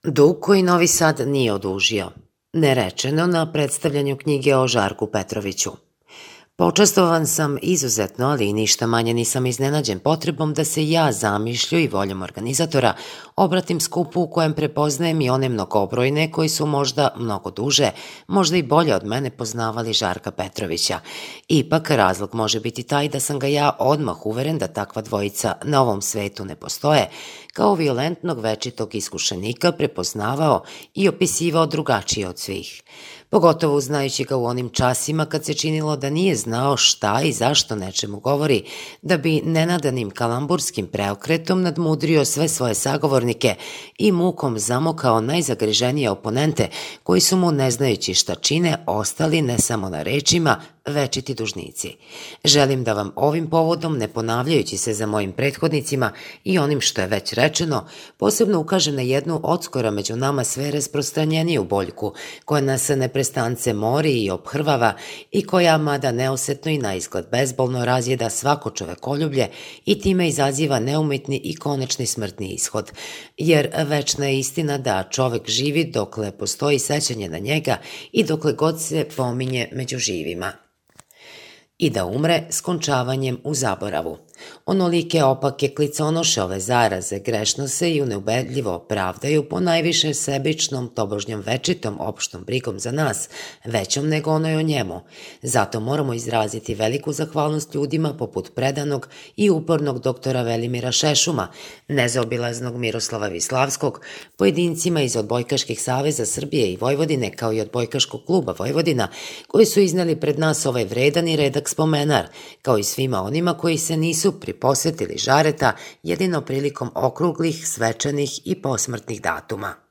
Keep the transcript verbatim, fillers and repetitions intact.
Dug koji Novi Sad nije odužio. Nerečeno na predstavljanju knjige o Žarku Petroviću. Počastovan sam izuzetno, ali i ništa manje nisam iznenađen potrebom da se ja zamišlju i voljom organizatora obratim skupu u kojem prepoznajem i one mnogobrojne koji su možda mnogo duže, možda i bolje od mene poznavali Žarka Petrovića. Ipak razlog može biti taj da sam ga ja odmah uveren da takva dvojica na ovom svetu ne postoje, kao violentnog večitog iskušenika prepoznavao i opisivao drugačije od svih. Pogotovo znajući ga u onim časima kad se činilo da nije znao šta i zašto nečemu govori, da bi nenadanim kalamburskim preokretom nadmudrio sve svoje sagovornike i mukom zamokao najzagriženije oponente koji su mu, ne znajući šta čine, ostali ne samo na rečima, večiti dužnici. Želim da vam ovim povodom, ne ponavljajući se za mojim prethodnicima i onim što je već rečeno, posebno ukažem na jednu odskora među nama sve rasprostranjeniju boljku, koja nas neprestance mori i obhrvava i koja, mada neosetno i naizgled bezbolno, razjeda svako čovekoljublje i time izaziva neumitni i konečni smrtni ishod. Jer večna je istina da čovek živi dokle postoji sećanje na njega i dokle god se pominje među živima. I da umre skončavanjem u zaboravu. Onolike opake kliconoše ove zaraze grešno se i neubedljivo pravdaju po najviše sebičnom, tobožnjom večitom opštom brigom za nas, većom nego onoj o njemu. Zato moramo izraziti veliku zahvalnost ljudima poput predanog i upornog doktora Velimira Šešuma, nezaobilaznog Miroslava Vislavskog, pojedincima iz Odbojkaških saveza Srbije i Vojvodine, kao i Odbojkaškog kluba Vojvodina, koji su izneli pred nas ovaj vredan i redak spomenar, kao i svima onima koji se nisu priposetili Žareta jedino prilikom okruglih, svečanih i posmrtnih datuma.